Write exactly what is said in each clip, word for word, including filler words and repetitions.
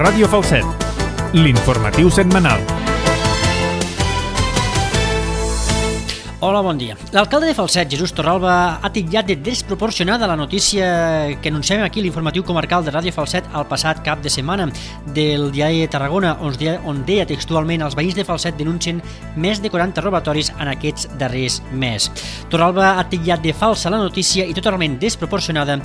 Ràdio Falset, l'informatiu setmanal. Hola, bon dia. L'alcalde de Falset, Jesús Torralba, ha titllat de desproporcionada la notícia que anunciem aquí l'informatiu comarcal de Ràdio Falset el passat cap de setmana del diari de Tarragona, on deia, on deia textualment els veïns de Falset denuncien més de quaranta robatoris en aquests darrers mesos. Torralba ha titllat de falsa la notícia i totalment desproporcionada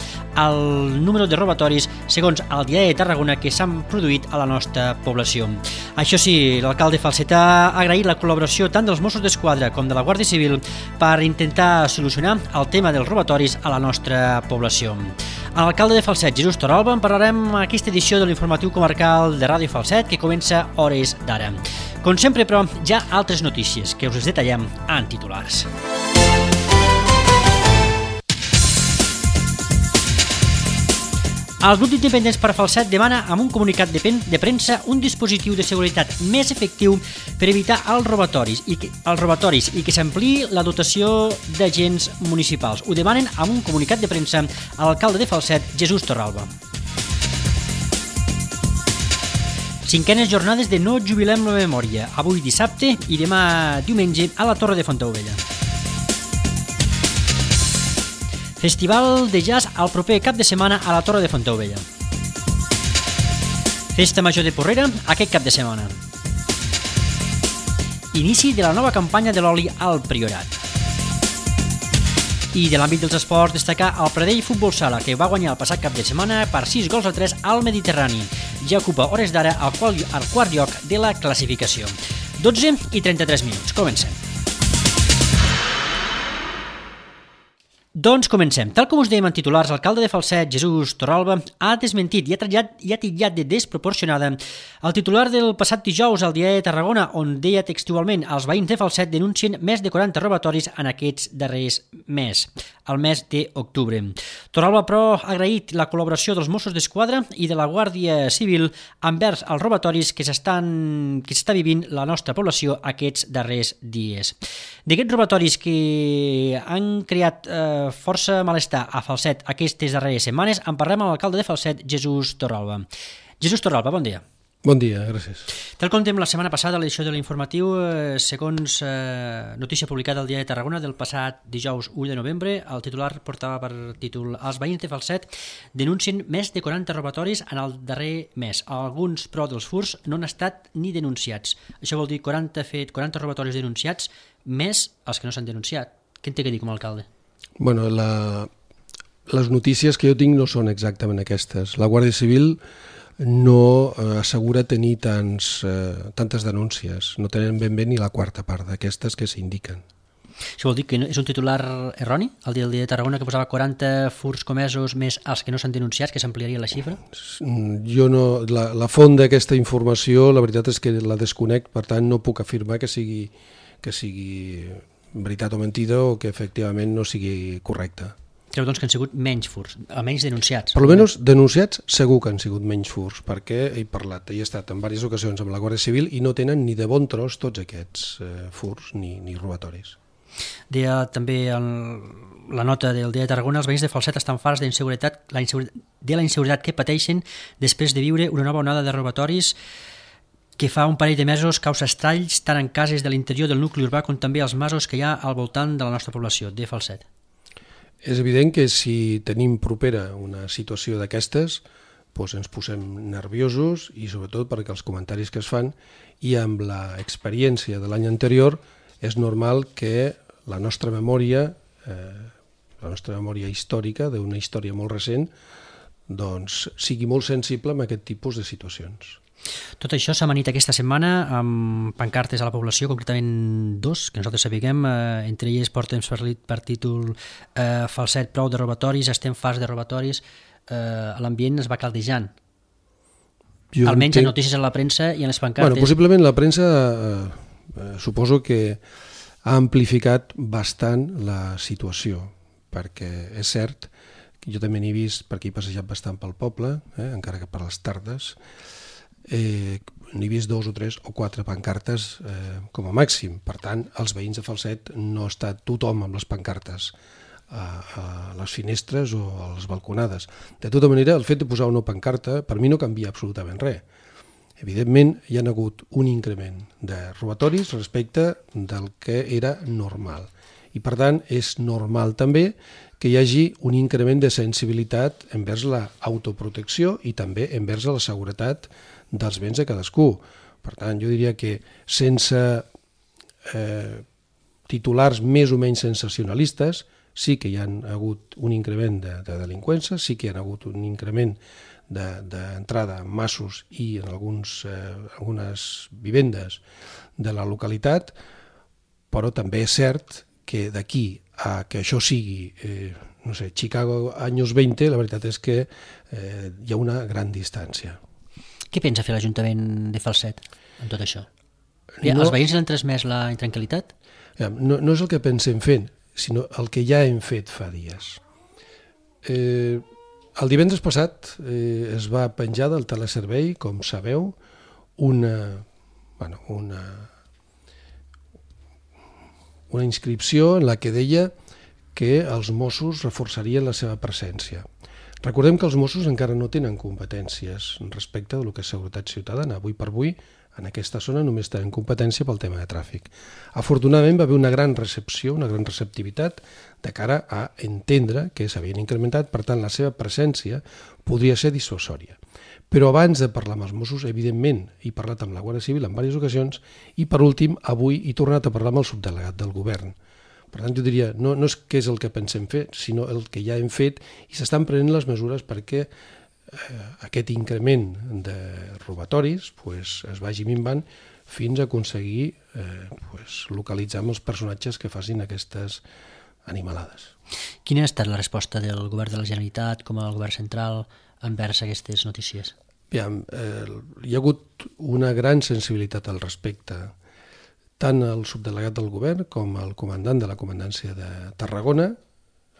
el número de robatoris segons el diari de Tarragona que s'han produït a la nostra població. Això sí, l'alcalde Falset ha agraït la col·laboració tant dels Mossos d'Esquadra com de la Guàrdia Civil per intentar solucionar el tema dels robatoris a la nostra població. Amb l'alcalde de Falset, Jesús Torralba, en parlarem en aquesta edició de l'informatiu comarcal de Ràdio Falset que comença hores d'ara. Com sempre, però, hi ha altres notícies que us les detallem en titulars. El grup d'independents per Falset demana amb un comunicat de, pen, de premsa un dispositiu de seguretat més efectiu per evitar els robatoris i que, els robatoris i que s'ampliï la dotació d'agents municipals. Ho demanen amb un comunicat de premsa a l'alcalde de Falset, Jesús Torralba. Cinquenes jornades de No Jubilem la Memòria, avui dissabte i demà diumenge a la Torre de Fontaubella. Festival de jazz el proper cap de setmana a la Torre de Fontaubella. Festa Major de Porrera aquest cap de setmana. Inici de la nova campanya de l'oli al Priorat. I de l'àmbit dels esports destacar el Pradell Futbol Sala, que va guanyar el passat cap de setmana per sis gols a tres al Mediterrani. Ja ocupa hores d'ara al quart lloc de la classificació. dotze i trenta-tres minuts. Comencem. Doncs comencem. Tal com us dèiem en titulars, l'alcalde de Falset, Jesús Torralba, ha desmentit i ha titllat, i ha titllat de desproporcionada el titular del passat dijous al diari de Tarragona, on deia textualment els veïns de Falset denuncien més de quaranta robatoris en aquests darrers mesos, el mes d'octubre. Torralba, però, ha agraït la col·laboració dels Mossos d'Esquadra i de la Guàrdia Civil envers els robatoris que s'estan que s'està vivint la nostra població aquests darrers dies. D'aquests robatoris que han creat eh, força malestar a Falset aquestes darreres setmanes, en parlem amb l'alcalde de Falset, Jesús Torralba. Jesús Torralba, bon dia. Bon dia, gràcies. Tal com dèiem la setmana passada a l'edició de l'informatiu, eh, segons eh, notícia publicada al diari de Tarragona del passat dijous u de novembre, el titular portava per títol Els veïns de Falset denuncien més de quaranta robatoris en el darrer mes. Alguns, però, dels furts no han estat ni denunciats. Això vol dir quaranta, fet, quaranta robatoris denunciats més els que no s'han denunciat. Què en té que dir com a alcalde? Bueno, la, les notícies que jo tinc no són exactament aquestes. La Guàrdia Civil no eh, assegura tenir tants, eh, tantes denúncies. No tenen ben bé ni la quarta part d'aquestes que s'indiquen. Això vol dir que és un titular erroni, el dia de Tarragona, que posava quaranta furts comesos més els que no s'han denunciat, que s'ampliaria la xifra? Jo no, la, la font d'aquesta informació, la veritat és que la desconec, per tant no puc afirmar que sigui, que sigui veritat o mentida o que efectivament no sigui correcta. Creu doncs que han sigut menys furts, almenys denunciats. Per almenys denunciats segur que han sigut menys furts, perquè he parlat, he estat en diverses ocasions amb la Guàrdia Civil i no tenen ni de bon tros tots aquests eh, furts ni, ni robatoris. Deia també el, la nota del dia de Tarragona, els veïns de Falset estan farts d'inseguretat, la inseguretat, de la inseguretat que pateixen després de viure una nova onada de robatoris que fa un parell de mesos causa estralls tant en cases de l'interior del nucli urbà com també als masos que hi ha al voltant de la nostra població, de Falset. És evident que si tenim propera una situació d'aquestes, doncs ens posem nerviosos i sobretot perquè els comentaris que es fan i amb l'experiència de l'any anterior és normal que la nostra memòria, eh, la nostra memòria històrica d'una història molt recent, doncs sigui molt sensible amb aquest tipus de situacions. Tot això s'ha amanit aquesta setmana amb pancartes a la població, concretament dos, que nosaltres sapiguem, eh, entre elles portem per títol eh, Falset, prou de robatoris, estem farts de robatoris, eh, l'ambient es va caldejant. Jo almenys entenc... en notícies a la premsa i en les pancartes. Bueno, possiblement la premsa eh, eh, suposo que ha amplificat bastant la situació, perquè és cert que jo també n'he vist, perquè he passejat bastant pel poble, eh, encara que per les tardes, Eh, n'he vist dos o tres o quatre pancartes eh, com a màxim. Per tant, els veïns de Falset no està tothom amb les pancartes a, a les finestres o a les balconades. De tota manera, el fet de posar una pancarta per mi no canvia absolutament res. Evidentment, hi ha hagut un increment de robatoris respecte del que era normal. I, per tant, és normal també que hi hagi un increment de sensibilitat envers l'autoprotecció i també envers la seguretat dels béns de cadascú. Per tant, jo diria que sense eh, titulars més o menys sensacionalistes, sí que hi ha hagut un increment de, de delinqüència, sí que hi ha hagut un increment d'entrada de, en massos i en alguns, eh, algunes vivendes de la localitat, però també és cert que d'aquí a que això sigui, eh, no sé, Chicago anys vint, la veritat és que eh, hi ha una gran distància. Què pensa fer l'Ajuntament de Falset en tot això? No, els veïns l'han transmès la intranquil·litat? No, no és el que pensem fent, sinó el que ja hem fet fa dies. Eh, el divendres passat eh, es va penjar del teleservei, com sabeu, una, bueno, una, una inscripció en la que deia que els Mossos reforçarien la seva presència. Recordem que els Mossos encara no tenen competències respecte del que és seguretat ciutadana. Avui per avui, en aquesta zona només tenen competència pel tema de tràfic. Afortunadament va haver una gran recepció, una gran receptivitat de cara a entendre que s'havien incrementat, per tant la seva presència podria ser dissuasòria. Però abans de parlar amb els Mossos, evidentment, he parlat amb la Guàrdia Civil en diverses ocasions i per últim, avui he tornat a parlar amb el subdelegat del govern. Per tant, jo diria, no, no és què és el que pensem fer, sinó el que ja hem fet i s'estan prenent les mesures perquè eh, aquest increment de robatoris pues, es vagi minvant fins a aconseguir eh, pues, localitzar els personatges que facin aquestes animalades. Quina ha estat la resposta del govern de la Generalitat com el govern central envers aquestes notícies? Aviam, eh, hi ha hagut una gran sensibilitat al respecte. Tant el subdelegat del govern com el comandant de la comandància de Tarragona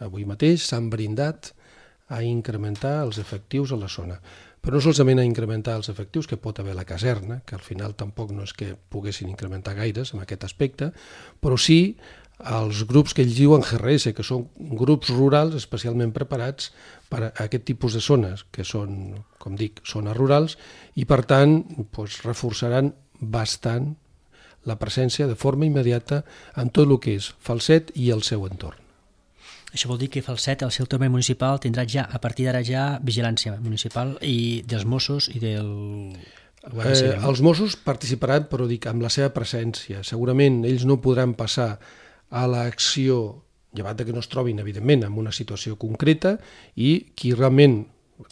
avui mateix s'han brindat a incrementar els efectius a la zona. Però no solament a incrementar els efectius que pot haver la caserna, que al final tampoc no és que poguessin incrementar gaires en aquest aspecte, però sí als grups que ells diuen G R S, que són grups rurals especialment preparats per a aquest tipus de zones, que són, com dic, zones rurals, i per tant doncs, reforçaran bastant la presència de forma immediata en tot el que és Falset i el seu entorn. Això vol dir que Falset, el seu terme municipal, tindrà ja, a partir d'ara ja, vigilància municipal i dels Mossos i del... Eh, els Mossos participaran, però dic, amb la seva presència. Segurament ells no podran passar a l'acció, llevat que no es trobin, evidentment, en una situació concreta, i qui realment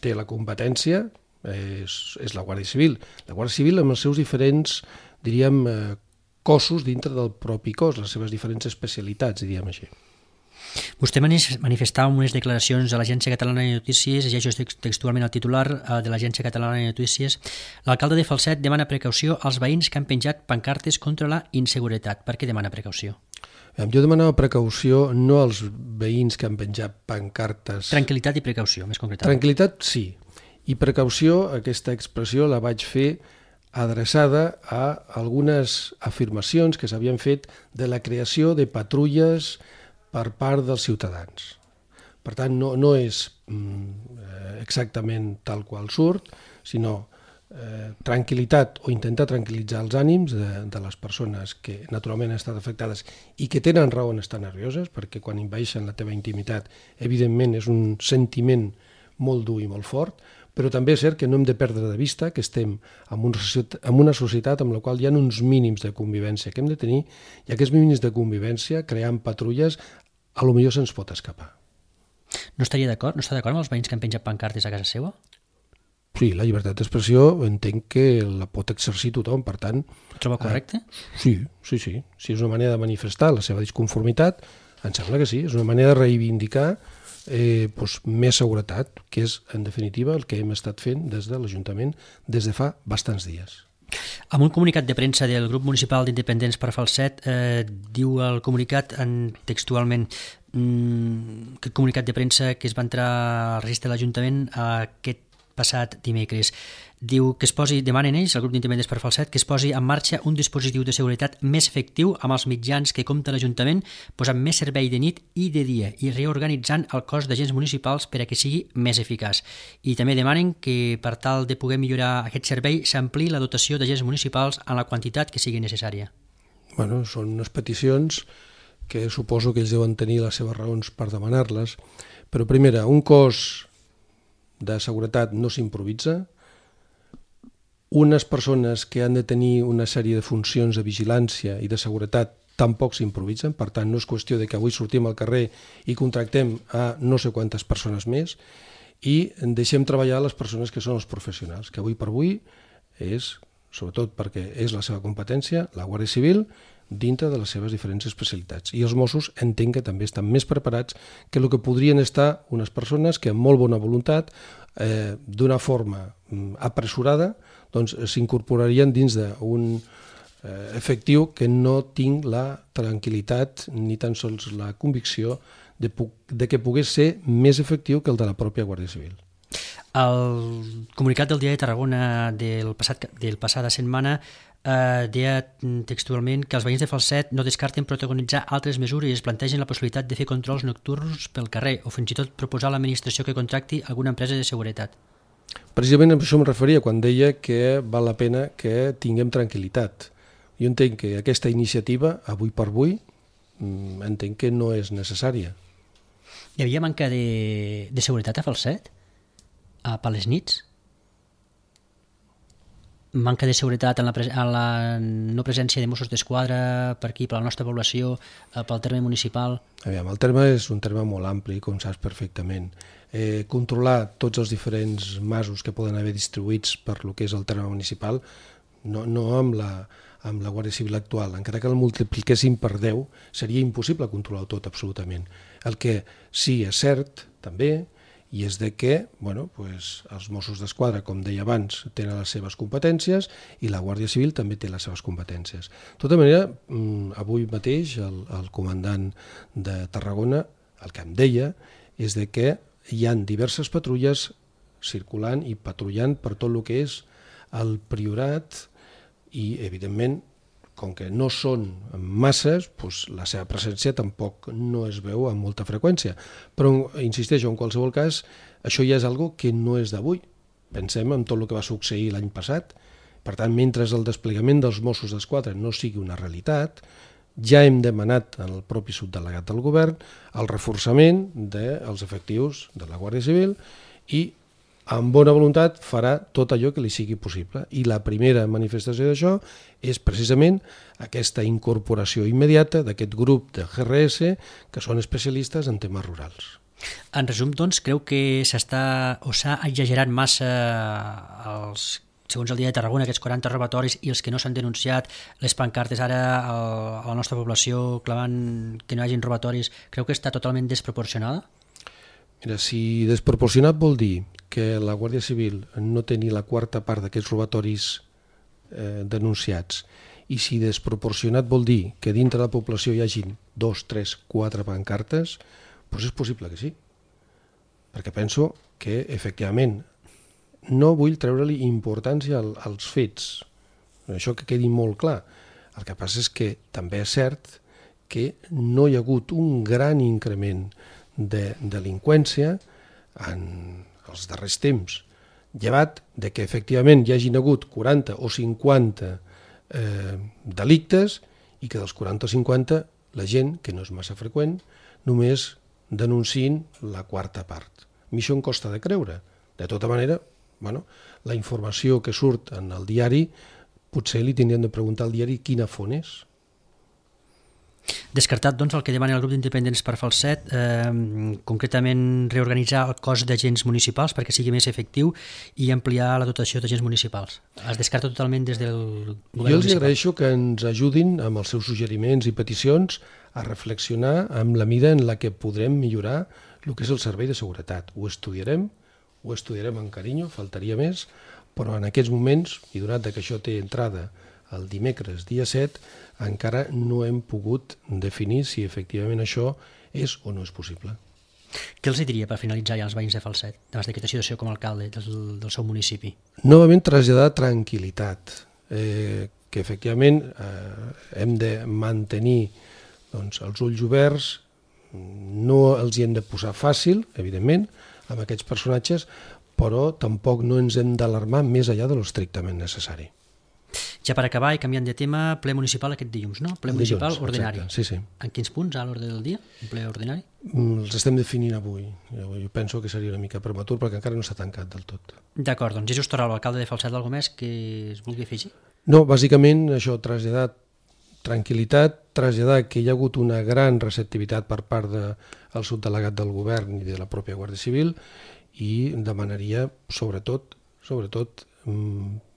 té la competència és, és la Guàrdia Civil. La Guàrdia Civil amb els seus diferents, diríem, eh, cossos dintre del propi cos, les seves diferents especialitats, diríem així. Vostè manifestava unes declaracions a l'Agència Catalana de Notícies, llegeixo textualment el titular de l'Agència Catalana de Notícies. L'alcalde de Falset demana precaució als veïns que han penjat pancartes contra la inseguretat. Per què demana precaució? Jo demanava precaució no als veïns que han penjat pancartes... Tranquil·litat i precaució, més concretament. Tranquil·litat, sí. I precaució, aquesta expressió la vaig fer adreçada a algunes afirmacions que s'havien fet de la creació de patrulles per part dels ciutadans. Per tant, no, no és mm, exactament tal qual surt, sinó eh, tranquil·litat o intentar tranquil·litzar els ànims de, de les persones que naturalment han estat afectades i que tenen raó en estar nervioses, perquè quan invaeixen la teva intimitat, evidentment és un sentiment molt dur i molt fort, però també és cert que no hem de perdre de vista que estem en una societat, en una societat amb la qual hi ha uns mínims de convivència que hem de tenir, i aquests mínims de convivència, creant patrulles, a lo millor se'ns pot escapar. No estaria d'acord? No està d'acord amb els veïns que han penjat pancartes a casa seva? Sí, la llibertat d'expressió entenc que la pot exercir tothom, per tant... Ho troba correcte? Eh, sí, sí, sí. Si és una manera de manifestar la seva disconformitat, em sembla que sí, és una manera de reivindicar Eh, doncs, més seguretat, que és en definitiva el que hem estat fent des de l'Ajuntament des de fa bastants dies. Amb un comunicat de premsa del grup municipal d'independents per Falset, eh, diu el comunicat en, textualment mm, que el comunicat de premsa que es va entrar al registre de l'Ajuntament, eh, aquest passat dimecres. Diu que es posi, demanen ells, el grup d'Independents per Falset, que es posi en marxa un dispositiu de seguretat més efectiu amb els mitjans que compta l'Ajuntament, posant més servei de nit i de dia i reorganitzant el cos d'agents municipals per a que sigui més eficaç. I també demanen que, per tal de poder millorar aquest servei, s'ampliï la dotació d'agents municipals en la quantitat que sigui necessària. Bueno, són unes peticions que suposo que ells deuen tenir les seves raons per demanar-les, però primera, un cos de seguretat no s'improvisa. Unes persones que han de tenir una sèrie de funcions de vigilància i de seguretat tampoc s'improvisen, per tant no és qüestió de que avui sortim al carrer i contractem a no sé quantes persones més i deixem treballar les persones que són els professionals, que avui per avui és, sobretot perquè és la seva competència, la Guàrdia Civil, dintre de les seves diferents especialitats. I els Mossos entenc que també estan més preparats que el que podrien estar unes persones que amb molt bona voluntat, eh, d'una forma apressurada, doncs s'incorporarien dins d'un eh, efectiu que no tinc la tranquil·litat ni tan sols la convicció de, de que pogués ser més efectiu que el de la pròpia Guàrdia Civil. El comunicat del Diari de Tarragona del passat, del passada setmana eh, deia textualment que els veïns de Falset no descarten protagonitzar altres mesures i es plantegen la possibilitat de fer controls nocturns pel carrer o fins i tot proposar a l'administració que contracti alguna empresa de seguretat. Precisament a això em referia quan deia que val la pena que tinguem tranquil·litat. Jo entenc que aquesta iniciativa, avui per avui, entenc que no és necessària. Hi havia manca de, de seguretat a Falset? A, per les nits? Manca de seguretat en la, pres en la no presència de Mossos d'Esquadra per aquí, per la nostra població, pel terme municipal? Aviam, el terme és un terme molt ampli, com saps perfectament. Eh, controlar tots els diferents masos que poden haver distribuïts per lo que és el terme municipal, no, no amb, la, amb la Guàrdia Civil actual. Encara que el multipliquéssim per deu, seria impossible controlar-ho tot, absolutament. El que sí és cert, també, i és de que bueno, pues, els Mossos d'Esquadra, com deia abans, tenen les seves competències i la Guàrdia Civil també té les seves competències. De tota manera, avui mateix el, el comandant de Tarragona el que em deia és de que hi ha diverses patrulles circulant i patrullant per tot el que és el Priorat i, evidentment, com que no són masses, doncs la seva presència tampoc no es veu amb molta freqüència. Però, insisteixo, en qualsevol cas, això ja és algo que no és d'avui. Pensem en tot el que va succeir l'any passat. Per tant, mentre el desplegament dels Mossos d'Esquadra no sigui una realitat, ja hem demanat al propi subdelegat del govern el reforçament dels efectius de la Guàrdia Civil i amb bona voluntat farà tot allò que li sigui possible. I la primera manifestació d'això és precisament aquesta incorporació immediata d'aquest grup de G R S que són especialistes en temes rurals. En resum, doncs, creu que s'està o s'ha exagerat massa els, segons el Dia de Tarragona, aquests quaranta robatoris i els que no s'han denunciat, les pancartes ara a la nostra població clamant que no hi hagin robatoris, creu que està totalment desproporcionada? Mira, si desproporcionat vol dir que la Guàrdia Civil no té ni la quarta part d'aquests robatoris eh, denunciats i si desproporcionat vol dir que dintre de la població hi hagin dos, tres, quatre pancartes, doncs és possible que sí. Perquè penso que, efectivament, no vull treure-li importància als fets. Això que quedi molt clar. El que passa és que també és cert que no hi ha hagut un gran increment de delinqüència en els darrers temps, llevat de que efectivament hi hagin hagut quaranta o cinquanta eh, delictes i que dels quaranta o cinquanta la gent, que no és massa freqüent, només denunciïn la quarta part. A mi això em costa de creure. De tota manera, bueno, la informació que surt en el diari, potser li tindríem de preguntar al diari quina font és. Descartat, doncs, el que demana el grup d'independents per Falset, eh, concretament reorganitzar el cos d'agents municipals perquè sigui més efectiu i ampliar la dotació d'agents municipals. Es descarta totalment des del govern municipal. Jo els agraeixo que ens ajudin amb els seus suggeriments i peticions a reflexionar amb la mida en la que podrem millorar el que és el servei de seguretat. Ho estudiarem, ho estudiarem amb carinyo, faltaria més, però en aquests moments, i donat que això té entrada el dimecres, dia set, encara no hem pogut definir si efectivament això és o no és possible. Què els diria per finalitzar ja els veïns de Falset, davant d'aquesta situació com a alcalde del, del seu municipi? Novament traslladar tranquil·litat, eh, que efectivament eh, hem de mantenir doncs, els ulls oberts, no els hi hem de posar fàcil, evidentment, amb aquests personatges, però tampoc no ens hem d'alarmar més enllà de l'estrictament necessari. Ja per acabar i canviant de tema, ple municipal aquest dilluns, no? Ple municipal Dilluns, ordinari. exacte, sí, sí. En quins punts a l'ordre del dia, un ple ordinari? Els estem definint avui. Jo penso que seria una mica prematur perquè encara no s'ha tancat del tot. D'acord, doncs Jesús Torralba, alcalde de Falset, alguna més que es vulgui afegir? No, bàsicament això, traslladar tranquil·litat, traslladar que hi ha hagut una gran receptivitat per part del subdelegat del govern i de la pròpia Guàrdia Civil i demanaria, sobretot, sobretot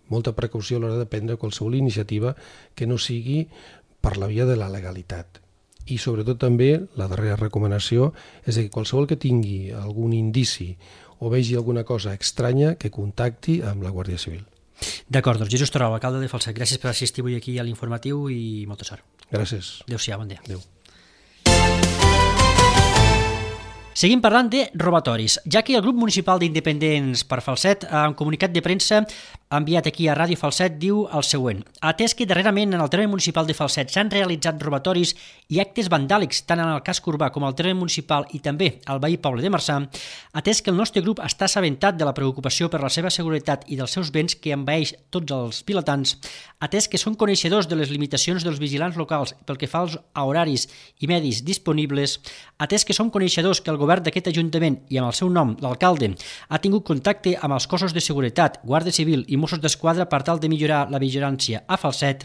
molta precaució a l'hora de prendre qualsevol iniciativa que no sigui per la via de la legalitat. I sobretot també la darrera recomanació és que qualsevol que tingui algun indici o vegi alguna cosa estranya que contacti amb la Guàrdia Civil. D'acord, doncs Jesús Torralba, alcalde de Falset, gràcies per assistir avui aquí a l'informatiu i molta sort. Gràcies. Adéu-siau, bon dia. Adéu. Seguim parlant de robatoris, ja que el grup municipal d'independents per Falset, en comunicat de premsa enviat aquí a Ràdio Falset, diu el següent. Atès que darrerament en el terme municipal de Falset s'han realitzat robatoris i actes vandàlics tant en el casc urbà com al terme municipal i també al veí poble de Marçà, atès que el nostre grup està assabentat de la preocupació per la seva seguretat i dels seus béns que envaeix tots els vilatans, atès que són coneixedors de les limitacions dels vigilants locals pel que fa als horaris i medis disponibles, atès que som coneixedors que el govern d'aquest Ajuntament i amb el seu nom, l'alcalde, ha tingut contacte amb els cossos de seguretat, Guàrdia Civil i Mossos d'Esquadra per tal de millorar la vigilància a Falset,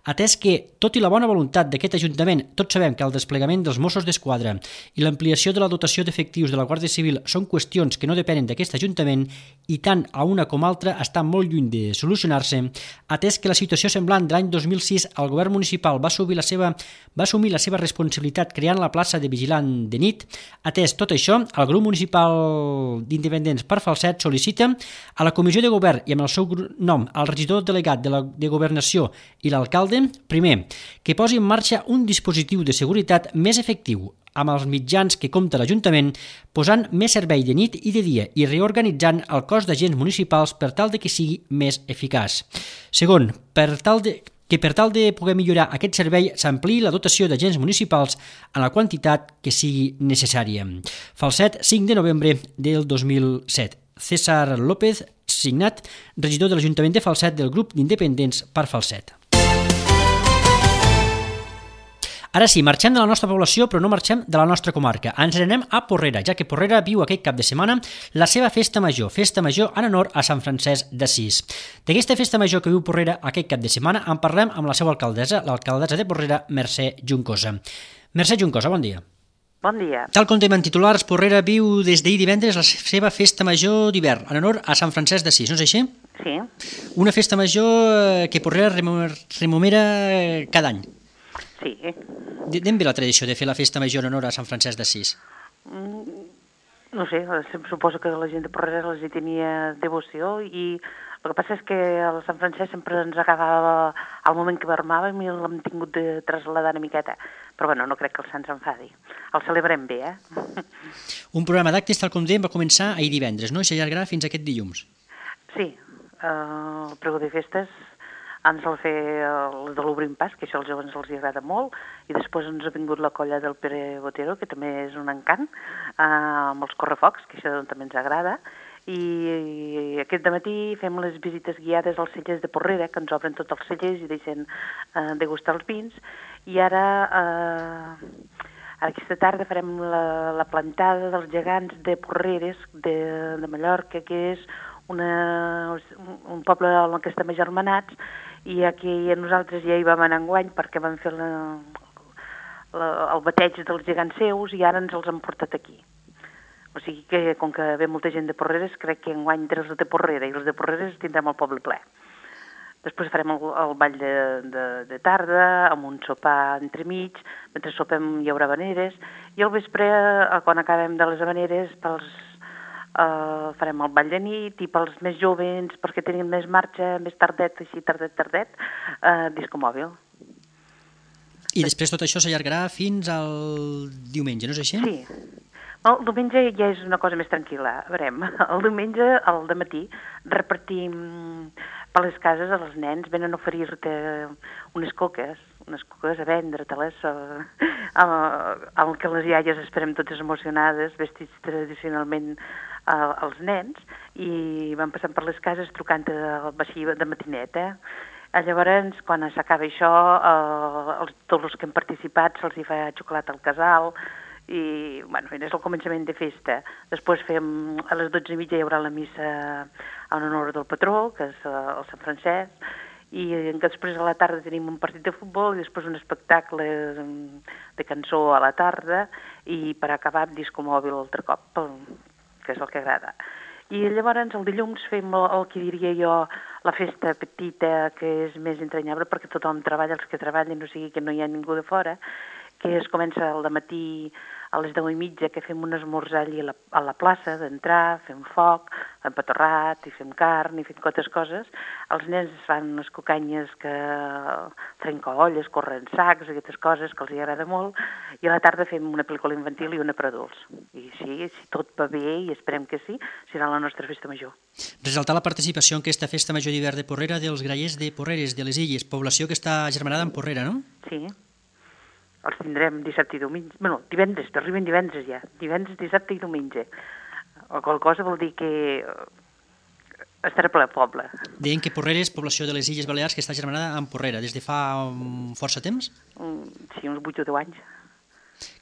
atès que, tot i la bona voluntat d'aquest Ajuntament, tots sabem que el desplegament dels Mossos d'Esquadra i l'ampliació de la dotació d'efectius de la Guàrdia Civil són qüestions que no depenen d'aquest Ajuntament i tant a una com a altra està molt lluny de solucionar-se, atès que la situació semblant de l'any dos mil sis el govern municipal va assumir la seva, va assumir la seva responsabilitat creant la plaça de vigilant de nit, atès tot això, el grup municipal d'independents per Falset sol·licita a la comissió de govern i amb el seu nom al regidor delegat de, la, de governació i l'alcalde, primer, que posi en marxa un dispositiu de seguretat més efectiu amb els mitjans que compta l'Ajuntament, posant més servei de nit i de dia i reorganitzant el cos d'agents municipals per tal de que sigui més eficaç. Segon, per tal de que per tal de poder millorar aquest servei s'ampliï la dotació d'agents municipals en la quantitat que sigui necessària. Falset, cinc de novembre del dos mil set. César López, signat, regidor de l'Ajuntament de Falset del grup d'independents per Falset. Ara sí, marxem de la nostra població, però no marxem de la nostra comarca. Ens anem a Porrera, ja que Porrera viu aquest cap de setmana la seva festa major, festa major en honor a Sant Francesc d'Assís. D'aquesta festa major que viu Porrera aquest cap de setmana en parlem amb la seva alcaldessa, l'alcaldessa de Porrera, Mercè Juncosa. Mercè Juncosa, bon dia. Bon dia. Tal com tenim en titulars, Porrera viu des d'ahir divendres la seva festa major d'hivern, en honor a Sant Francesc d'Assís, no és així? Sí. Una festa major que Porrera rememora cada any. Sí. D'on ve la tradició de fer la festa major en honor a Sant Francesc d'Assís? Mm, no sé, suposo que la gent de Porrera els hi tenia devoció i el que passa és que el Sant Francesc sempre ens agradava al moment que vermàvem i l'hem tingut de traslladar una miqueta. Però bueno, no crec que el Sant s'enfadi. El celebrem bé, eh? Un programa d'actes, tal com dèiem, va començar ahir divendres, no? I s'allargarà fins aquest dilluns. Sí, eh, el pregó de festes ens el fer el de l'Obrim Pas, que això als joves els agrada molt, i després ens ha vingut la colla del Pere Botero, que també és un encant, eh, amb els correfocs, que això també ens agrada, i, i aquest matí fem les visites guiades als cellers de Porrera, que ens obren tots els cellers i deixen eh, degustar els vins, i ara, eh, aquesta tarda farem la, la plantada dels gegants de Porreres, de, de Mallorca, que és una, un poble en què estem agermanats, i aquí nosaltres ja hi vam anar enguany perquè vam fer la, la, el bateig dels gegants seus i ara ens els han portat aquí. O sigui que, com que ve molta gent de Porreres, crec que enguany dels de Porrera i els de Porreres tindrem el poble ple. Després farem el, el ball de, de, de tarda, amb un sopar entremig, mentre sopem hi haurà habaneres, i al vespre, quan acabem de les habaneres, pels Uh, farem el ball de nit i pels més jovens, perquè tenim més marxa, més tardet, així tardet, tardet, uh, disco mòbil. I després tot això s'allargarà fins al diumenge, no és així? Sí. El diumenge ja és una cosa més tranquil·la. A veure, el diumenge, al dematí, repartim per les cases als nens, venen a oferir-te unes coques, unes coques a vendre-te-les, el que les iaies esperem totes emocionades, vestits tradicionalment als nens, i van passant per les cases trucant-te així de matinet, eh? Llavors, quan s'acaba això, eh, tots els que han participat se'ls hi fa xocolata al casal, i, bueno, és el començament de festa. Després fem, a les dotze i mitja hi haurà la missa en honor del patró, que és el Sant Francesc, i després a la tarda tenim un partit de futbol i després un espectacle de cançó a la tarda i per acabar disco mòbil altre cop, que és el que agrada. I llavors el dilluns fem el, el que diria jo la festa petita, que és més entranyable perquè tothom treballa, els que treballen, o sigui que no hi ha ningú de fora, que es comença al matí a les deu i mitja, que fem un esmorzar allà a la, a la plaça, d'entrar, fem foc, fem patorrat, i fem carn, i fem totes coses. Els nens fan unes cucanyes que trencolles, corren sacs, aquestes coses que els hi agrada molt, i a la tarda fem una pel·lícula infantil i una per adults. I sí, si tot va bé, i esperem que sí, serà la nostra festa major. Resaltar la participació en aquesta festa major d'hivern de Porrera dels grallers de Porreres, de les Illes, població que està agermanada amb Porrera, no? Sí. Els tindrem dissabte i diumenge. Bueno, divendres, arriben divendres ja. Divendres, dissabte i diumenge. O qual cosa vol dir que estarà ple el poble. Deien que Porreres, població de les Illes Balears, que està agermanada amb Porrera, des de fa um, força temps? Um, sí, uns vuit o deu anys.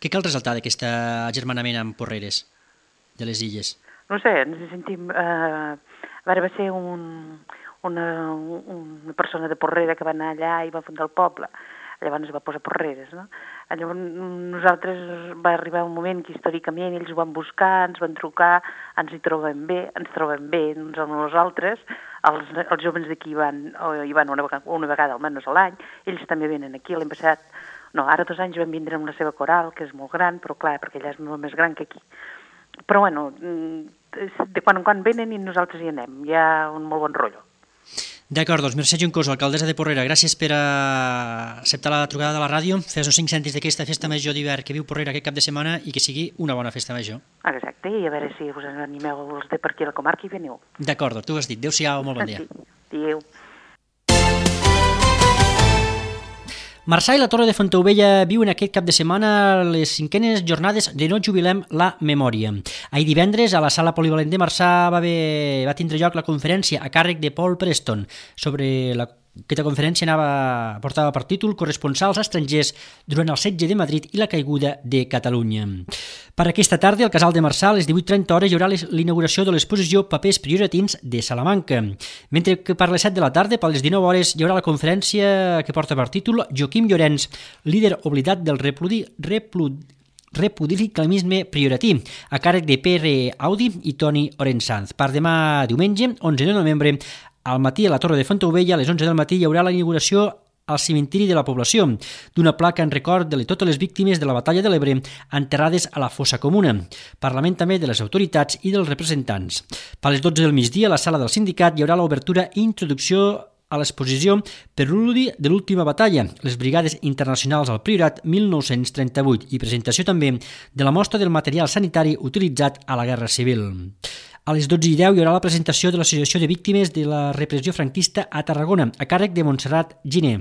Què cal resaltar d'aquest agermanament amb Porreres, de les Illes? No sé, ens sentim... Eh, a veure, va ser un, una, una persona de Porrera que va anar allà i va fundar el poble. Llavors es va posar Porreres, no? Llavors nosaltres va arribar un moment que històricament ells ho van buscar, ens van trucar, ens hi trobem bé, ens trobem bé uns amb nosaltres, els, els joves d'aquí van, hi van una vegada, una vegada almenys a l'any, ells també venen aquí, l'any passat, no, ara dos anys van vindre amb la seva coral, que és molt gran, però clar, perquè allà és molt més gran que aquí. Però bueno, de quan en quan venen i nosaltres hi anem, hi ha un molt bon rotllo. D'acord, doncs Mercè Juncoso, alcaldessa de Porrera, gràcies per acceptar la trucada de la ràdio, fes uns cinc cèntims d'aquesta festa major d'hivern que viu Porrera aquest cap de setmana i que sigui una bona festa major. Exacte, i a veure si us animeu els de per aquí a la comarca i veniu. D'acord, tu ho has dit. Adéu-siau, molt bon dia. Adéu. Marçà i la Torre de Fontaubella viuen aquest cap de setmana les cinquenes jornades de No jubilem la memòria. Ahir divendres, a la sala polivalent de Marçà va, haver, va tindre lloc la conferència a càrrec de Paul Preston sobre la Aquesta conferència anava, portava per títol Corresponsals estrangers durant el setge de Madrid i la caiguda de Catalunya. Per aquesta tarda, al Casal de Marçà, a les divuit trenta hores, hi haurà l'inauguració de l'exposició Papers prioratins de Salamanca. Mentre que per les set de la tarda, per les dinou hores, hi haurà la conferència que porta per títol Joaquim Llorenç, líder oblidat del repludi, repludi, repudilicalisme prioratí, a càrrec de Pere Audi i Toni Orensanz. Per demà diumenge, onze de novembre, al matí a la Torre de Fontaubella, a les onze del matí, hi haurà la inauguració al cimentiri de la població d'una placa en record de totes les víctimes de la batalla de l'Ebre enterrades a la fossa comuna. Parlament també de les autoritats i dels representants. Per les dotze del migdia, a la sala del sindicat, hi haurà l'obertura i introducció a l'exposició Preludi de l'última batalla, les Brigades Internacionals al Priorat mil nou-cents trenta-vuit, i presentació també de la mostra del material sanitari utilitzat a la Guerra Civil. A les dotze i deu hi haurà la presentació de l'Associació de Víctimes de la Repressió Franquista a Tarragona, a càrrec de Montserrat Giner,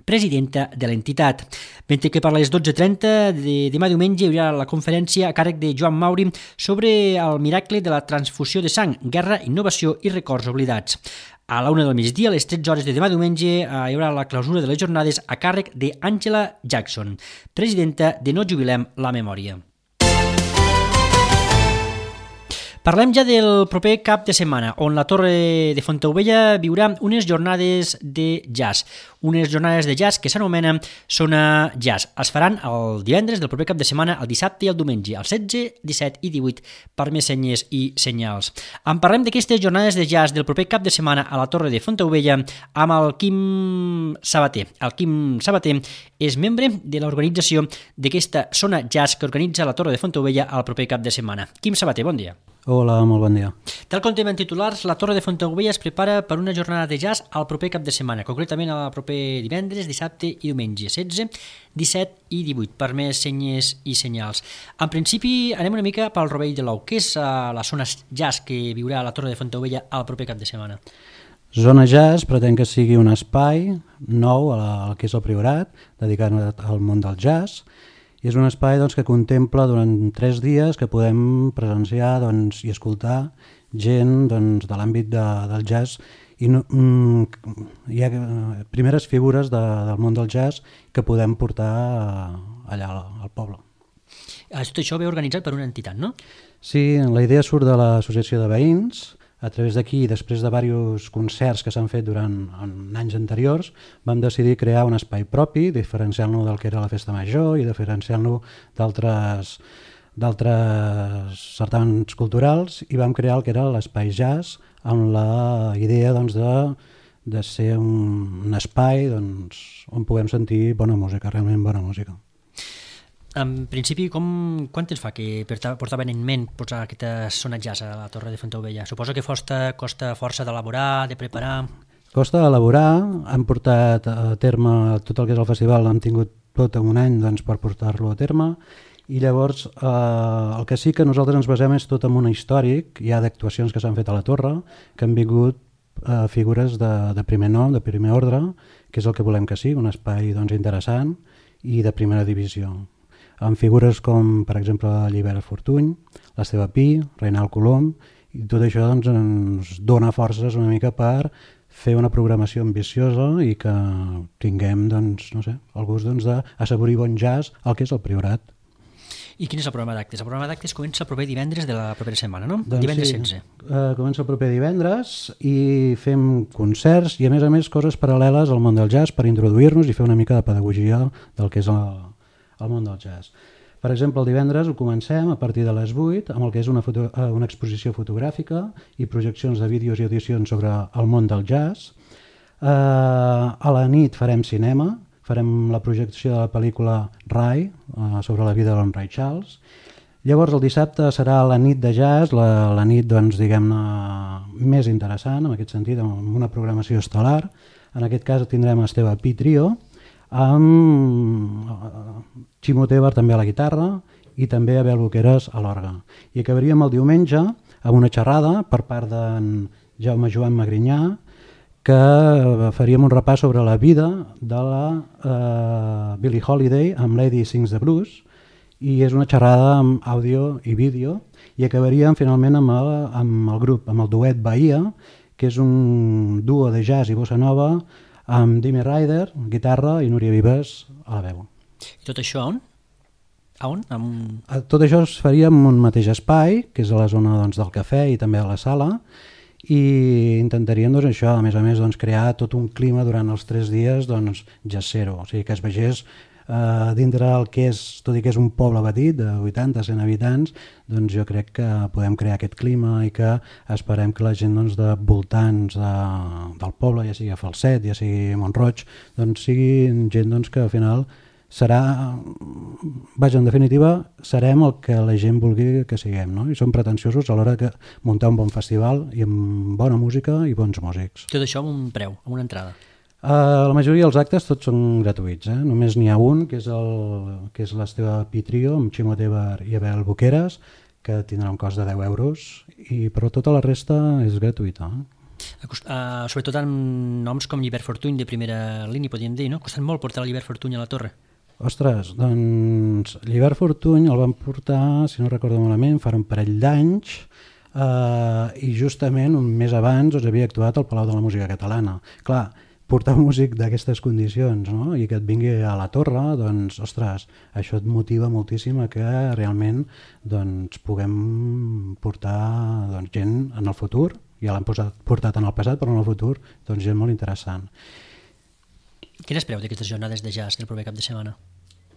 presidenta de l'entitat. Mentre que per les dotze i trenta de demà diumenge hi haurà la conferència a càrrec de Joan Mauri sobre el miracle de la transfusió de sang, guerra, innovació i records oblidats. A la una del migdia, a les tretze hores de demà diumenge, hi haurà la clausura de les jornades a càrrec d'Àngela Jackson, presidenta de No Jubilem la Memòria. Parlem ja del proper cap de setmana, on la Torre de Fontaubella viurà unes jornades de jazz. Unes jornades de jazz que s'anomenen Sona Jazz. Es faran el divendres del proper cap de setmana, el dissabte i el diumenge, el setze, disset i divuit, per més senyes i senyals. En parlem d'aquestes jornades de jazz del proper cap de setmana a la Torre de Fontaubella amb el Quim Sabater. El Quim Sabater és membre de l'organització d'aquesta Sona Jazz que organitza la Torre de Fontaubella el proper cap de setmana. Quim Sabater, bon dia. Hola, molt bon dia. Tal com tenim en titulars, la Torre de Fontaubella es prepara per una jornada de jazz al proper cap de setmana, concretament el proper divendres, dissabte i diumenge, setze, disset i divuit, per més senyes i senyals. En principi, anem una mica pel rovell de l'ou. Què és uh, la zona jazz que viurà a la Torre de Fontaubella al proper cap de setmana? Zona Jazz pretén que sigui un espai nou al que és el Priorat, dedicat al món del jazz, i és un espai doncs, que contempla durant tres dies que podem presenciar doncs, i escoltar gent doncs, de l'àmbit de, del jazz. I no, mm, hi ha primeres figures de, del món del jazz que podem portar allà al poble. Tot això ve organitzat per una entitat, no? Sí, la idea surt de l'associació de veïns. A través d'aquí, després de diversos concerts que s'han fet durant en anys anteriors, vam decidir crear un espai propi, diferenciant-lo del que era la festa major i diferenciant-lo d'altres d'altres certàmens culturals, i vam crear el que era l'espai jazz amb la idea doncs, de, de ser un, un espai doncs, on puguem sentir bona música, realment bona música. En principi, com, quant temps fa que portaven en ment posar aquesta zona jazz a la Torre de Fontaubella? Suposo que costa, costa força d'elaborar, de preparar... Costa d'elaborar, hem portat a terme tot el que és el festival, hem tingut tot un any doncs, per portar-lo a terme, i llavors eh, el que sí que nosaltres ens basem és tot en un històric, hi ha d'actuacions que s'han fet a la Torre, que han vingut eh, figures de, de primer nom, de primer ordre, que és el que volem que sigui, un espai doncs, interessant i de primera divisió, amb figures com, per exemple, Llibert Fortuny, l'Esteve Pi, Reinald Colom, i tot això doncs, ens dona forces una mica per fer una programació ambiciosa i que tinguem doncs, no sé, el gust doncs, d'assaborir bon jazz al que és el Priorat. I quin és el programa d'actes? El programa d'actes comença el proper divendres de la propera setmana, no? Doncs divendres sí, setze. Uh, comença el proper divendres i fem concerts i, a més a més, coses paral·leles al món del jazz per introduir-nos i fer una mica de pedagogia del que és el al món del jazz. Per exemple, el divendres ho comencem a partir de les vuit amb el que és una, foto, una exposició fotogràfica i projeccions de vídeos i audicions sobre el món del jazz. Uh, a la nit farem cinema, farem la projecció de la pel·lícula Ray, uh, sobre la vida d'en Ray Charles. Llavors el dissabte serà la nit de jazz, la, la nit doncs, diguem-ne més interessant, en aquest sentit, amb una programació estel·lar. En aquest cas tindrem Esteve Pi Trio, amb Ximo Tebar també a la guitarra i també Abel Boqueras a l'orgue. I acabaríem el diumenge amb una xerrada per part d'en Jaume Joan Magrinyà, que faríem un repàs sobre la vida de la uh, Billie Holiday amb Lady Sings the Blues, i és una xerrada amb àudio i vídeo, i acabaríem finalment amb el, amb el grup, amb el duet Bahia, que és un duo de jazz i bossa nova amb Dimi Ryder, guitarra, i Núria Vives a la veu. I tot això on? A on? Amb... Tot això es faria en un mateix espai, que és a la zona doncs, del cafè i també a la sala, i intentaríem doncs, això, a més a més, doncs, crear tot un clima durant els tres dies doncs, jazzero, o sigui que es vegés Uh, dintre el que és, tot i que és un poble petit de vuitanta a cent habitants, doncs jo crec que podem crear aquest clima i que esperem que la gent doncs, de voltants de, del poble, ja sigui a Falset, ja sigui a Mont-roig, doncs sigui gent doncs, que al final serà, vaja, en definitiva, serem el que la gent vulgui que siguem, no? I som pretensiosos a l'hora de muntar un bon festival i amb bona música i bons músics. Tot això amb un preu, amb una entrada. Uh, la majoria dels actes tots són gratuïts, eh? Només n'hi ha un, que és el que és l'Esteve Pi Trio, amb Ximo Tebar i Abel Boqueras, que tindrà un cost de deu euros, i però tota la resta és gratuïta. Eh? Uh, sobretot amb noms com Llibert Fortuny de primera línia, podríem dir, no? Costat molt portar Llibert Fortuny a la Torre. Ostres, doncs Llibert Fortuny el van portar, si no recordo malament, fa un parell d'anys, uh, i justament un mes abans doncs, havia actuat al Palau de la Música Catalana. Clar, portar un músic d'aquestes condicions, no? I que et vingui a la Torre, doncs, ostres, això et motiva moltíssim a que realment doncs, puguem portar doncs, gent en el futur, ja l'han portat en el passat, però en el futur doncs, gent molt interessant. Què n'espereu d'aquestes jornades de jazz del proper cap de setmana?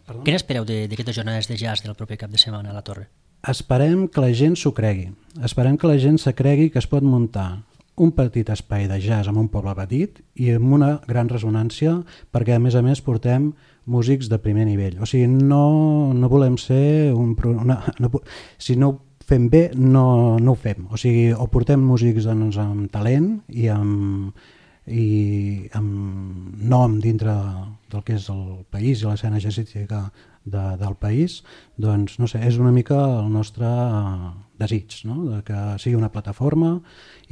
Perdó? Què n'espereu d'aquestes jornades de jazz del proper cap de setmana a la Torre? Esperem que la gent s'ho cregui, esperem que la gent se cregui que es pot muntar un petit espai de jazz en un poble petit i amb una gran ressonància, perquè a més a més portem músics de primer nivell. O sigui, no, no volem ser un... Una, no, si no fem bé no, no ho fem. O sigui, o portem músics doncs, amb talent i amb, i amb nom dintre del que és el país i l'escena jazzística de, del país, doncs no sé, és una mica el nostre desig, no? De que sigui una plataforma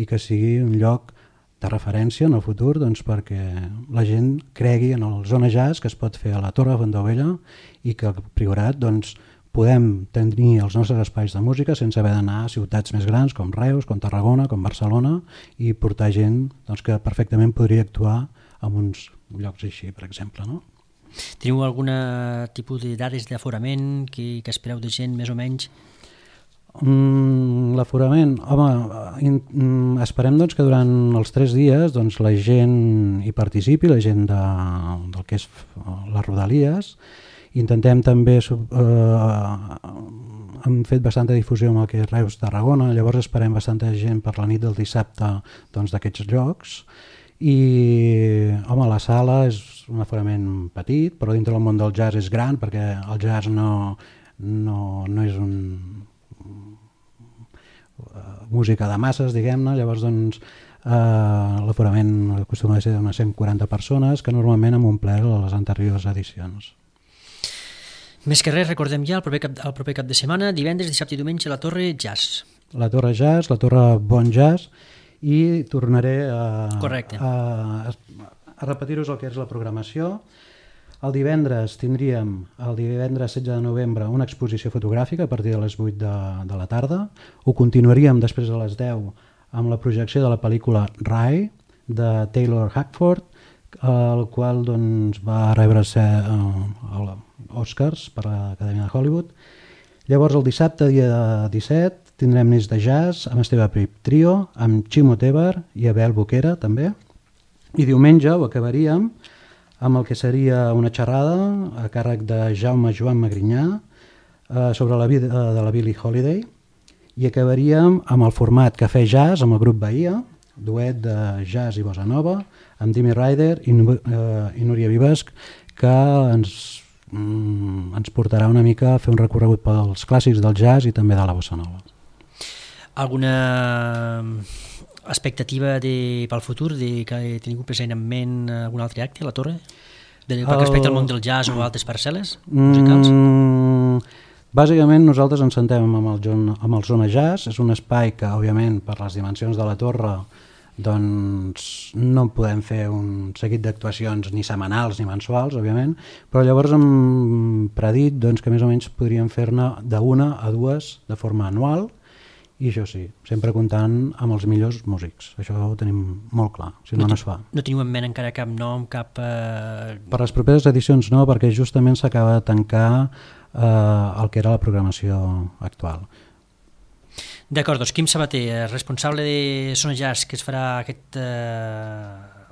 i que sigui un lloc de referència en el futur, doncs, perquè la gent cregui en el Zona Jazz que es pot fer a la Torre de Fontaubella i que al Priorat doncs, podem tenir els nostres espais de música sense haver d'anar a ciutats més grans com Reus, com Tarragona, com Barcelona i portar gent doncs, que perfectament podria actuar en uns llocs així, per exemple. No? Teniu algun tipus de dades d'aforament que, que espereu de gent més o menys? Mm, L'aforament, home, in, mm, esperem doncs, que durant els tres dies doncs, la gent hi participi, la gent de, del que és les Rodalies. Intentem també, eh, hem fet bastanta difusió amb el que és Reus, Tarragona, llavors esperem bastanta gent per la nit del dissabte doncs, d'aquests llocs i home, la sala és un aforament petit, però dintre del món del jazz és gran perquè el jazz no, no, no és un uh, música de masses, diguem-ne, llavors doncs uh, l'aforament acostuma a ser d'unes cent quaranta persones que normalment hem omplert a les anteriors edicions. Més que res, recordem ja el proper, cap, el proper cap de setmana, divendres, dissabte i diumenge, la Torre Jazz. La Torre Jazz, la Torre Bon Jazz, i tornaré a, a, a repetir-vos el que és la programació. El divendres tindríem, el divendres setze de novembre, una exposició fotogràfica a partir de les vuit de, de la tarda. Ho continuaríem després a les deu amb la projecció de la pel·lícula Rai, de Taylor Hackford, el qual doncs, va rebre uh, Oscars per l'Acadèmia de Hollywood. Llavors el dissabte, dia disset, tindrem nits de jazz amb Esteve Prip Trio, amb Ximo Tebar i Abel Boquera també. I diumenge ho acabaríem amb el que seria una xerrada a càrrec de Jaume Joan Magrinyà eh, sobre la vida de la Billie Holiday i acabaríem amb el format Cafè Jazz amb el grup Bahia, duet de jazz i bossa nova, amb Dimi Ryder i, eh, i Núria Vives, que ens, mm, ens portarà una mica a fer un recorregut pels clàssics del jazz i també de la bossa nova. Alguna expectativa de, pel futur, de que teniu present en ment algun altre acte a la Torre? De, el... respecte al món del jazz o altres parcel·les musicals? Mm, bàsicament nosaltres ens sentem amb el, amb el Zona Jazz, és un espai que òbviament per les dimensions de la Torre doncs no podem fer un seguit d'actuacions ni setmanals ni mensuals, òbviament, però llavors hem predit doncs, que més o menys podríem fer-ne d'una a dues de forma anual. I això sí, sempre comptant amb els millors músics. Això ho tenim molt clar, si no, no, no es fa. No teniu en ment encara cap nom, cap... Eh... Per les properes edicions no, perquè justament s'acaba de tancar eh, el que era la programació actual. D'acord, doncs Quim Sabater, responsable de Zona Jazz, que es farà aquest, eh,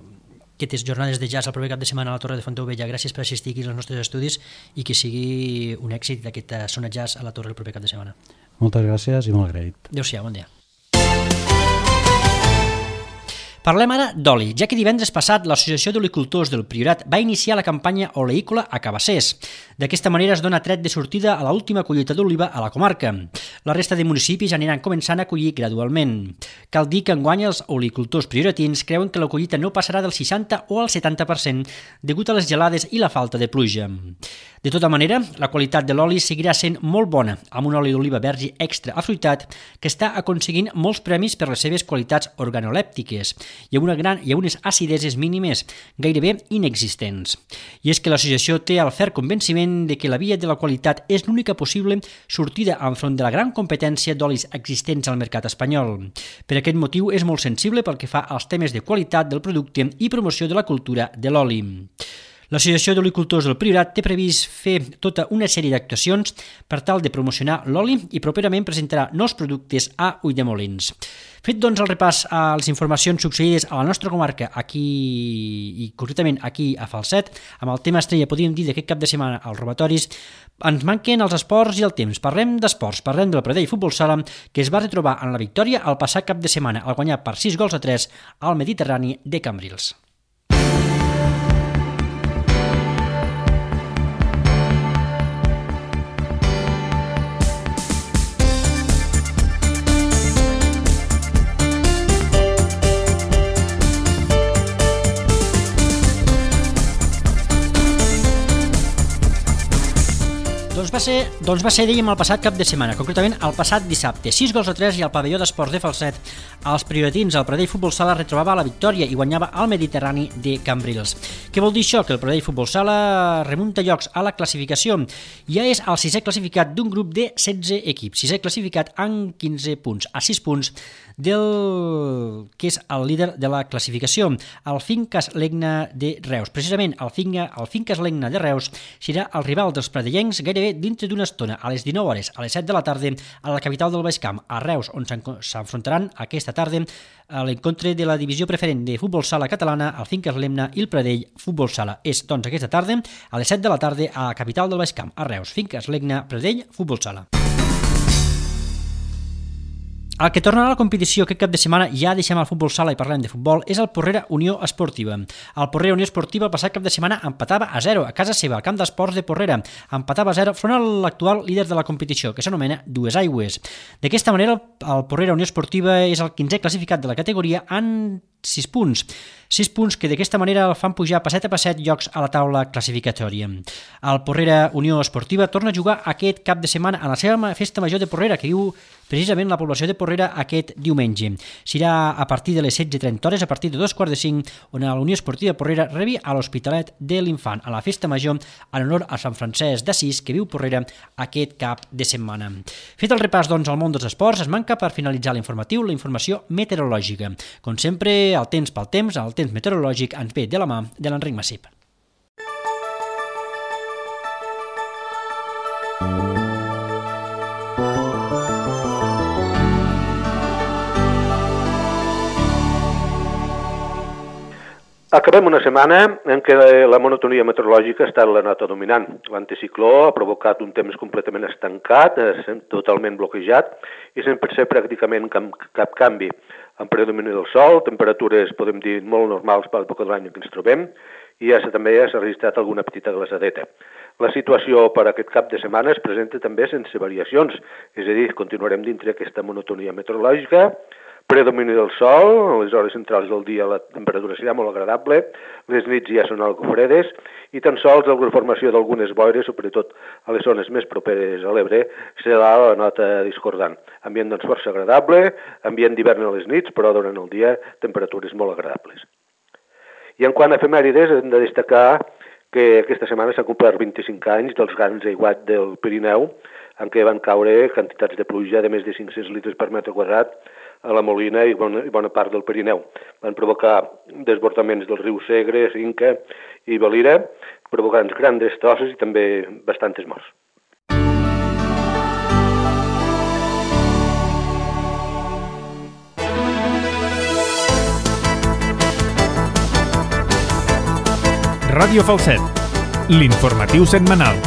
aquestes jornades de jazz el proper cap de setmana a la Torre de Fontaubella. Gràcies per assistir aquí als nostres estudis i que sigui un èxit d'aquesta Zona Jazz a la Torre el proper cap de setmana. Moltes gràcies i molt agraït. Adéu-siau, bon dia. Parlem ara d'oli, ja que divendres passat l'Associació d'Olicultors del Priorat va iniciar la campanya oleícola a Cabassers. D'aquesta manera es dona tret de sortida a l'última collita d'oliva a la comarca. La resta de municipis aniran començant a collir gradualment. Cal dir que enguany els olicultors prioratins creuen que la collita no passarà del seixanta o al setanta per cent degut a les gelades i la falta de pluja. De tota manera, la qualitat de l'oli seguirà sent molt bona, amb un oli d'oliva verge extra afruitat que està aconseguint molts premis per les seves qualitats organolèptiques i amb, una gran, i amb unes acideses mínimes, gairebé inexistents. I és que l'associació té el ferm convenciment de que la via de la qualitat és l'única possible sortida enfront de la gran competència d'olis existents al mercat espanyol. Per aquest motiu és molt sensible pel que fa als temes de qualitat del producte i promoció de la cultura de l'oli. L'Associació d'Olicultors del Priorat té previst fer tota una sèrie d'actuacions per tal de promocionar l'oli i properament presentarà nous productes a Ulldemolins. Fet doncs el repàs a les informacions succeïdes a la nostra comarca aquí i concretament aquí a Falset, amb el tema estrella podríem dir d'aquest cap de setmana als robatoris, ens manquen els esports i el temps. Parlem d'esports, parlem del Pradell Futbol Sala, que es va retrobar en la victòria el passat cap de setmana al guanyar per sis gols a tres al Mediterrani de Cambrils. Doncs va ser, doncs va ser, dèiem, el passat cap de setmana, concretament el passat dissabte. sis gols a tres i el pavelló d'esports de Falset. Els prioritins, el Pradell Futbol Sala retrobava la victòria i guanyava el Mediterrani de Cambrils. Què vol dir això? Que el Pradell Futbol Sala remunta llocs a la classificació. Ja és el sisè classificat d'un grup de setze equips. Sisè classificat amb quinze punts, a sis punts del que és el líder de la classificació, el Fincas Legna de Reus. Precisament el, Finca, el Fincas Legna de Reus serà el rival dels pradellencs gairebé dintre d'una estona, a les dinou hores, a les set de la tarda, a la capital del Baix Camp, a Reus, on s'enfrontaran aquesta tarda a l'encontre de la divisió preferent de futbol sala catalana, el Fincas Legna i el Pradell Futbol Sala. És, doncs, aquesta tarda, a les set de la tarda, a la capital del Baix Camp, a Reus, Fincas Legna, Pradell Futbol Sala. El que tornarà a la competició aquest cap de setmana, ja deixem el futbol sala i parlem de futbol, és el Porrera Unió Esportiva. El Porrera Unió Esportiva el passat cap de setmana empatava a zero a casa seva, al camp d'esports de Porrera. Empatava a zero front a l'actual líder de la competició, que s'anomena Duesaigües. D'aquesta manera, el Porrera Unió Esportiva és el quinzè classificat de la categoria en sis punts. sis punts que d'aquesta manera el fan pujar passet a passet llocs a la taula classificatòria. El Porrera Unió Esportiva torna a jugar aquest cap de setmana a la seva festa major de Porrera, que viu precisament la població de Porrera aquest diumenge. Serà a partir de les setze i trenta hores, a partir de dos quarts de cinc, on la Unió Esportiva Porrera rebi a l'Hospitalet de l'Infant, a la festa major en honor a Sant Francesc d'Assís, que viu Porrera aquest cap de setmana. Fet el repàs, doncs, al món dels esports, es manca per finalitzar l'informatiu la informació meteorològica. Com sempre, el temps pel temps, el temps meteorològic ens ve de la mà de l'Enric Massip. Acabem una setmana en què la monotonia meteorològica ha estat la nota dominant. L'anticicló ha provocat un temps completament estancat, totalment bloquejat, i sense ser pràcticament cap, cap canvi. En predomini del sol, temperatures, podem dir, molt normals per l'època de l'any en què ens trobem, i ja també s'ha registrat alguna petita glaçadeta. La situació per aquest cap de setmana es presenta també sense variacions, és a dir, continuarem dintre aquesta monotonia meteorològica, predomini del sol, a les hores centrals del dia la temperatura serà molt agradable, les nits ja són algo fredes i tan sols la formació d'algunes boires, sobretot a les zones més properes a l'Ebre, serà la nota discordant. Ambient doncs força agradable, ambient d'hivern a les nits, però durant el dia temperatures molt agradables. I en quant a efemèrides, hem de destacar que aquesta setmana s'ha complert vint-i-cinc anys dels grans aiguats del Pirineu, en què van caure quantitats de pluja de més de cinc-cents litres per metre quadrat a la Molina i bona, i bona part del Pirineu. Van provocar desbordaments del riu Segre, Inca i Valira, provocant grans destrosses i també bastantes morts. Ràdio Falset, l'informatiu setmanal.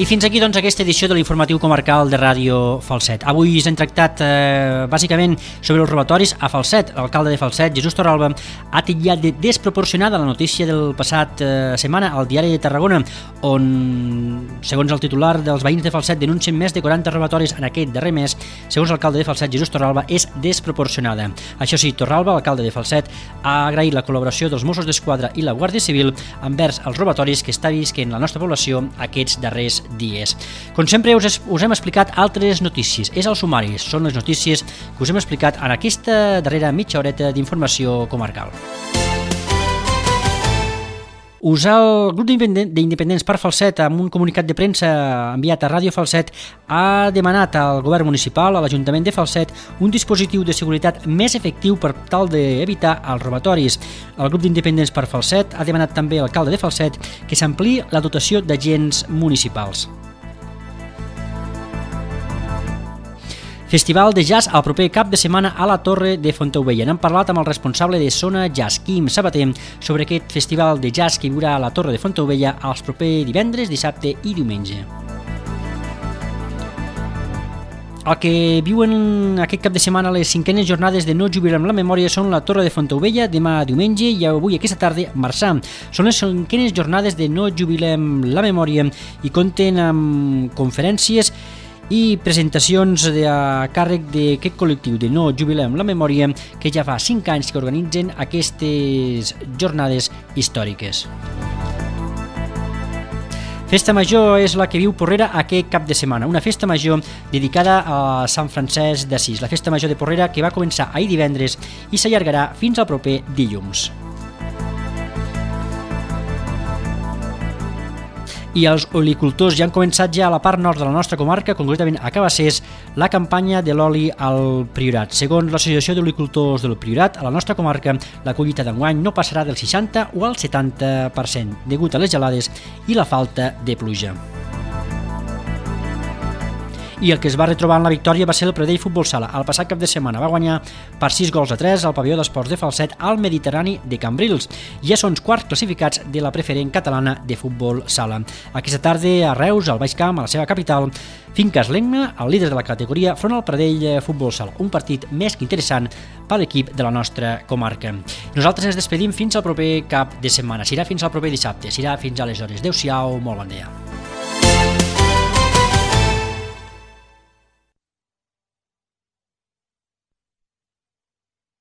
I fins aquí, doncs, aquesta edició de l'informatiu comarcal de Ràdio Falset. Avui ens hem tractat eh, bàsicament sobre els robatoris a Falset. L'alcalde de Falset, Jesús Torralba, ha titllat de desproporcionada la notícia del passat eh, setmana al Diari de Tarragona, on, segons el titular dels veïns de Falset, denuncien més de quaranta robatoris en aquest darrer mes. Segons l'alcalde de Falset, Jesús Torralba, és desproporcionada. Això sí, Torralba, l'alcalde de Falset, ha agraït la col·laboració dels Mossos d'Esquadra i la Guàrdia Civil envers els robatoris que està visquent la nostra població aquests darrers dies. Com sempre, us, us hem explicat altres notícies. És el sumari, són les notícies que us hem explicat en aquesta darrera mitja horeta d'informació comarcal. Us el grup d'independents per Falset, amb un comunicat de premsa enviat a Ràdio Falset, ha demanat al govern municipal, a l'Ajuntament de Falset, un dispositiu de seguretat més efectiu per tal d'evitar els robatoris. El grup d'independents per Falset ha demanat també a l'alcalde de Falset que s'ampliï la dotació d'agents municipals. Festival de jazz el proper cap de setmana a la Torre de Fontaubella. N'hem parlat amb el responsable de Zona Jazz, Quim Sabater, sobre aquest festival de jazz que hi haurà a la Torre de Fontaubella els propers divendres, dissabte i diumenge. El que viuen aquest cap de setmana les cinquenes jornades de No Jubilem la Memòria són la Torre de Fontaubella, demà diumenge i avui aquesta tarda Marçà. Són les cinquenes jornades de No Jubilem la Memòria i compten amb conferències i presentacions a càrrec d'aquest col·lectiu de No Jubilem la Memòria, que ja fa cinc anys que organitzen aquestes jornades històriques. Festa Major és la que viu Porrera aquest cap de setmana, una festa major dedicada a Sant Francesc d'Assís, la festa major de Porrera que va començar ahir divendres i s'allargarà fins al proper dilluns. I els olicultors ja han començat ja a la part nord de la nostra comarca, concretament a Cabassers, la campanya de l'oli al Priorat. Segons l'Associació d'Olicultors del Priorat, a la nostra comarca la collita d'enguany no passarà del seixanta o al setanta per cent, degut a les gelades i la falta de pluja. I el que es va retrobar en la victòria va ser el Pradell Futbol Sala. El passat cap de setmana va guanyar per sis gols a tres al pavelló d'esports de Falset al Mediterrani de Cambrils. Ja són els quarts classificats de la preferent catalana de futbol sala. Aquesta tarda a Reus, al Baix Camp, a la seva capital, Finques Legna, el líder de la categoria, front al Pradell Futbol Sala. Un partit més que interessant per l'equip de la nostra comarca. Nosaltres ens despedim fins al proper cap de setmana. Serà fins al proper dissabte. Serà fins aleshores. Adéu-siau, molt bon dia.